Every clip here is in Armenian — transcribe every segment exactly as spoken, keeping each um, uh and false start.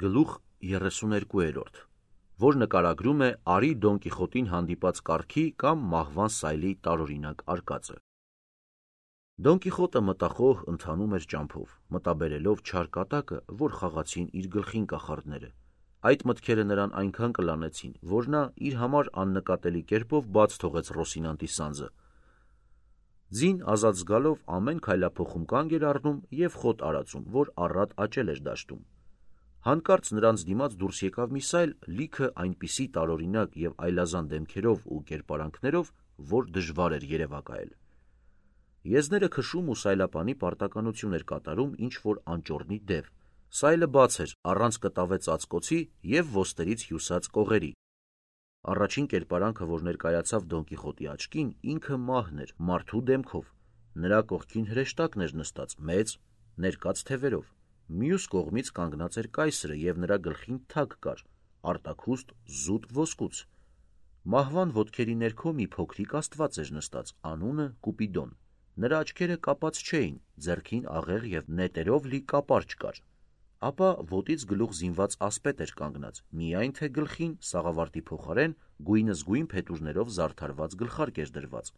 Գլուխ երեսուներկու, որ նկարագրում է Արի Դոն Կիխոտին հանդիպած կառքի կամ մահվան սայլի տարօրինակ արկածը։ Դոն Կիխոտը մտախոհ ընթանում էր ճամփով, մտաբերելով չար կատակը, որ խաղացին իր գլխին կախարդները։ Այդ մտքերը նրան այնքան կլանեցին, որ նա իր համար աննկատելի կերպով բաց թողեց Ռոսինանտի սանձը։ Ձին ազատ զգալով ամեն քայլափոխում կանգ էր առնում և խոտ արածում, որ առատ աճել էր դաշտում։ Հանկարծ նրանց դիմաց դուրս եկավ մի սայլ, լիքը այնպիսի տարօրինակ և այլազան դեմքերով ու կերպարանքներով, որ դժվար էր երևակայել։ Եզները քշում ու սայլապանի պարտականություն էր կատարում ինչ-որ անճոռնի դև։ Սայլը բաց էր, առանց կտավե ծածկոցի և ոստերից հյուսած կողերի։ Առաջին կերպարանքը, որ ներկայացավ Դոն Կիխոտի աչքին, ինքը մահն էր, մարդու դեմքով։ Նրա կողքին հրեշտակն էր նստած, մեծ, ներկած թևերով։ Մյուս կողմից կանգնած էր կայսրը և նրա գլխին թագ կար, արտաքուստ զուտ ոսկուց։ Մահվան ոտքերի ներքո մի փոքրիկ աստված էր նստած, անունը Կուպիդոն։ Նրա աչքերը կապած չէին, ձեռքին աղեղ և նետերով լի կապարճ կար։ Ապա ոտից գլուխ զինված ասպետ էր կանգնած, միայն թե գլխին, սաղավարտի փոխարեն, գույնզգույն փետուրներով զարդարված գլխարկ էր դրված։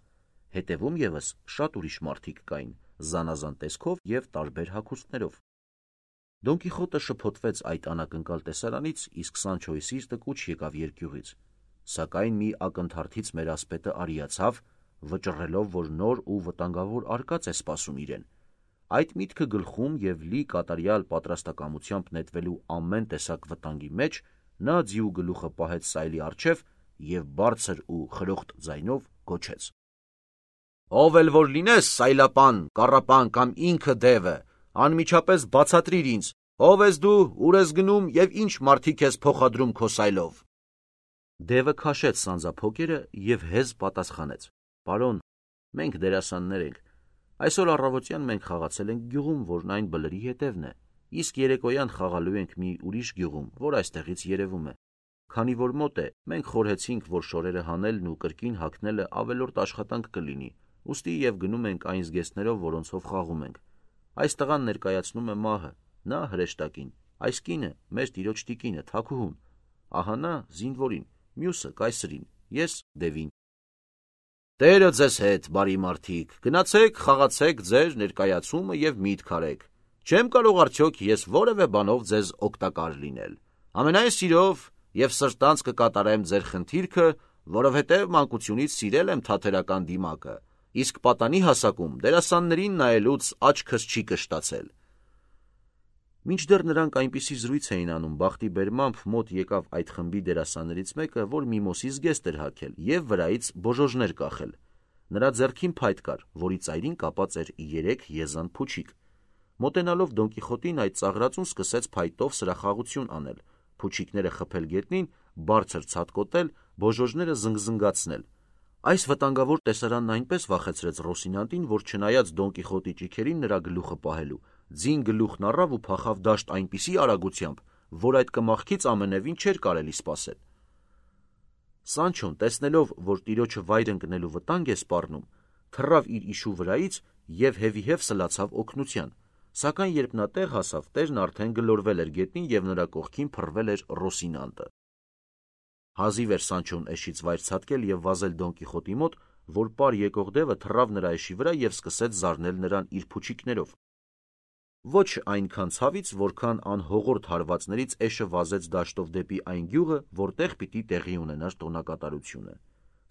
Հետևում ևս շատ ուրիշ մարդիկ կային, զանազան տեսքով և տարբեր հագուստներով։ Դոն Կիխոտը շփոթվեց այդ անակնկալ տեսարանից, իսկ Սանչոյի սիրտը կուչ եկավ երկյուղից։ Սակայն մի ակնթարթից մեր ասպետը արիացավ, վճռելով, որ նոր ու վտանգավոր արկած է սպասում իրեն։ Այդ միտքը գլխում և լի կատարյալ պատրաստակամությամբ նետվելու ամեն տեսակ վտանգի մեջ, նա ձիու գլուխը պահեց սայլի առջև և բարձր ու խրոխտ ձայնով գոչեց. «Ով էլ որ լինես, սայլապան, կառապան կամ ինքը դևը, անմիջապես բացատրիր ինձ, ով ես դու, ուր ես գնում և ինչ մարդիկ ես փոխադրում քո սայլով»։ Դևը քաշեց սանձափոկերը և հեզ պատասխանեց. «Պարոն, մենք դերասաններ ենք։ Այսօր առավոտյան մենք խաղացել ենք գյուղում, որն այն բլրի հետևն է, իսկ երեկոյան խաղալու ենք մի ուրիշ գյուղում, որ այստեղից երևում է։ Քանի որ մոտ է, մենք խորհեցինք, որ շորերը հանելն ու կրկին հագնելը ավելորդ աշխատանք կլինի, ուստի և գնում ենք այն զգեստներով, որոնցով խաղում ենք։ Այս տղան ներկայացնում է մահը, նա հրեշտակին, այս կինը մեր տիրոջ տիկինը, թագուհուն, ահա նա զինվորին, մյուսը կայսրին, ես դևին։ Տերը ձեզ հետ, բարի մարդիկ, գնացեք, խաղացեք ձեր ներկայացումը և միտք արեք։ Չեմ կարող արդյոք ես որևէ բանով ձեզ օգտակար լինել։ Ամենայն սիրով և սրտանց կկատարեմ ձեր խնդիրքը, որովհետև մանկությունից սիրել եմ թատերական դիմակը, իսկ պատանի հասակում դերասաններին նայելուց աչքս չի կշտացել։ Մինչդեռ նրանք այնպիսի զրույց էին անում, բախտի բերմամբ մոտ եկավ այդ խմբի դերասաններից մեկը, որ միմոսի զգեստ էր հագել և վրայից բոժոժներ կախել։ Նրա ձեռքին փայտ կար, որի ծայրին կապած էր երեք եզան փուչիկ։ Մոտենալով Դոն Կիխոտին, այդ ծաղրածուն սկսեց փայտով սրախաղություն անել, փուչիկները խփել գետնին, բարձր ցատկոտել, բոժոժները զնգզնգացնել։ Այս վտանգավոր տեսարանն այնպես վախեցրեց Ռոսինանտին, որ չնայած Դոն Կիխոտի ճիգերին նրա գլուխը պահելու, ձին գլուխն առավ ու փախավ դաշտ այնպիսի արագությամբ, որ այդ կմախքից ամենևին չէր կարելի սպասել։ Սանչոն, տեսնելով, որ տիրոջը վայր ընկնելու վտանգ է սպառնում, թռավ իր իշու վրայից և հևիհև սլացավ օգնության, սակայն երբ նա տեղ հասավ, տերն արդեն գլորվել էր գետնին և նրա կողքին փռվել էր Ռոսինանտը։ Հազիվ էր Սանչոն էշից վայր ցատկել և վազել Դոն Կիխոտի մոտ, որ պար եկող դևը թռավ նրա էշի վրա և սկսեց զարնել նրան իր փուչիկներով։ Ոչ այնքան ցավից, որքան անհողորդ հարվածներից էշը վազեց դաշտով դեպի այն գյուղը, որտեղ պիտի տեղի ունենար տոնակատարությունը։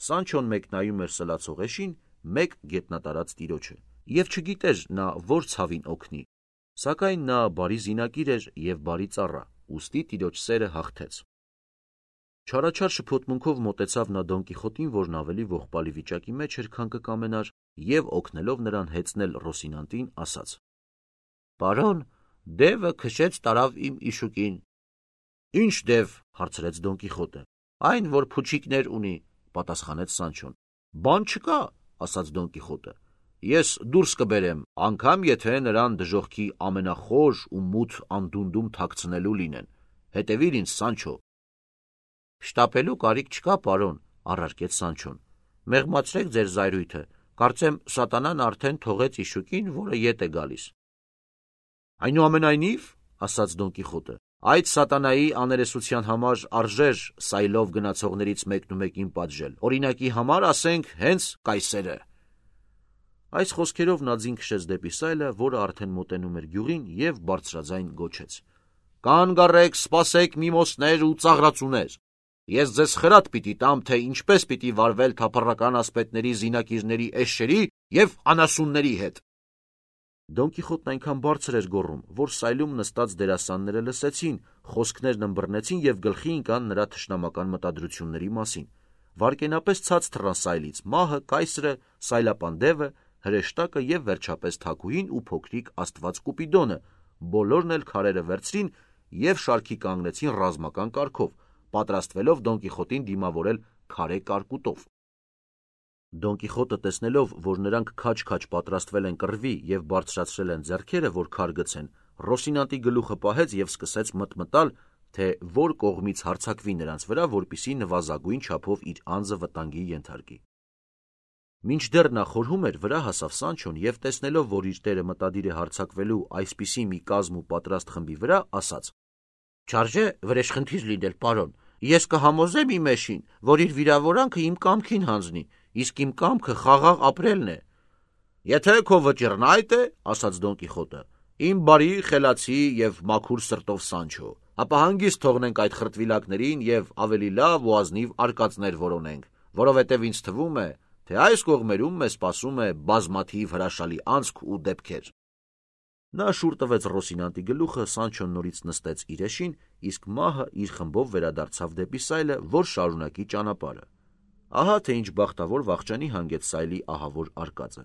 Սանչոն մեկ նայում էր սլացող էշին, մեկ գետնատարած տիրոջը, և չգիտեր նա որ ցավին օգնի, սակայն նա բարի զինակիր էր և բարի ծառա, ուստի տիրոջ սերը հաղթեց։ Չարաչար շփոթմունքով մոտեցավ նա Դոն Կիխոտին, որն ավելի ողբալի վիճակի մեջ էր, քան կկամենար, և օգնելով նրան հեծնել Ռոսինանտին, ասաց. «Պարոն, դևը քշեց տարավ իմ իշուկին»։ «Ի՞նչ դև»։ հարցրեց Դոն Կիխոտը։ «Այն, որ փուչիկներ ունի», պատասխանեց Սանչոն։ «Բան չկա», ասաց Դոն Կիխոտը։ «Ես դուրս կբերեմ, անգամ եթե նրան դժոխքի ամենախոր ու մութ անդունդում թաքցնելու լինեն։ Հետևիր ինձ, Սանչո»։ «Շտապելու կարիք չկա, պարոն», առարկեց Սանչոն։ «Մեղմացրեք ձեր զայրույթը, կարծեմ սատանան արդեն թողեց իշուկին, որը ետ է գալիս»։ «Այնուամենայնիվ», ասաց Դոն Կիխոտը, Այդ սատանայի աներեսության համար արժեր սայլով գնացողներից մեկնումեկին պատժել, օրինակի համար ասենք հենց կայսերը։ Այս խոսքերով նա ձին քշեց դեպի սայլը, որը արդեն մոտենում էր գյուղին, և բարձրաձայն գոչեց. «Կանգ առեք, սպասեք միմոսներ ու ծաղրածուներ, ես ձեզ խրատ պիտի տամ, թե ինչպես պիտի վարվել թափառական ասպետների, զինակիրների, էշերի և անասունների հետ»։ Դոն Կիխոտն այնքան բարձր էր գոռում, որ սայլում նստած դերասանները լսեցին, խոսքներն ըմբռնեցին և գլխի ընկան նրա թշնամական մտադրությունների մասին։ Վայրկենապես ցած թռան սայլից մահը, կայսրը, սայլապան դևը, հրեշտակը և վերջապես թագուհին ու փոքրիկ աստված Կուպիդոնը, բոլորն էլ քարերը վերցրին և շարքի կանգնեցին ռազմական կարգով, պատրաստվելով Դոն Կիխոտին դիմավորել քարե կարկուտով։ Դոն Կիխոտը տեսնելով, որ նրանք քաջ-քաջ պատրաստվել են կռվի և բարձրացրել են ձեռքերը, որ քար գցեն, Ռոսինանտի գլուխը պահեց և սկսեց մտմտալ, թե որ կողմից հարձակվի նրանց վրա, որպեսզի նվազագույն չափով իր անձը վտանգի ենթարկի։ Մինչդեռ նա խորհում էր, վրա հասավ Սանչոն և տեսնելով, որ իր տերը մտադիր է հարձակվելու այսպիսի մի կազմ ու պատրաստ խմբի վրա, ասաց. «Չարժե վրեժխնդիր լինել, պարոն, ես կհամոզեմ իմ էշին, որ իր վիրավորանքը իմ կամքին հանձնի, իսկ իմ կամքը խաղաղ ապրելն է»։ «Եթե քո վճիռն այդ է, ասաց Դոն Կիխոտը, իմ բարի, խելացի և մաքուր սրտով Սանչո, ապա հանգիստ թողնենք այդ խրտվիլակներին և ավելի լավ ու ազնիվ արկածներ որոնենք, որովհետև ինձ թվում է, թե այս կողմերում մեզ սպասում է բազմաթիվ հրաշալի անցք ու դեպքեր»։ Նա շուռ տվեց Ռոսինանտի գլուխը, Սանչոն նորից նստեց իր էշին, իսկ մահը իր խմբով վերադարձավ դեպի սայլը, որ շարունակի ճանապարհը։ Ահա թե ինչ բախտավոր վախճանի հանգեց սայլի ահավոր արկածը։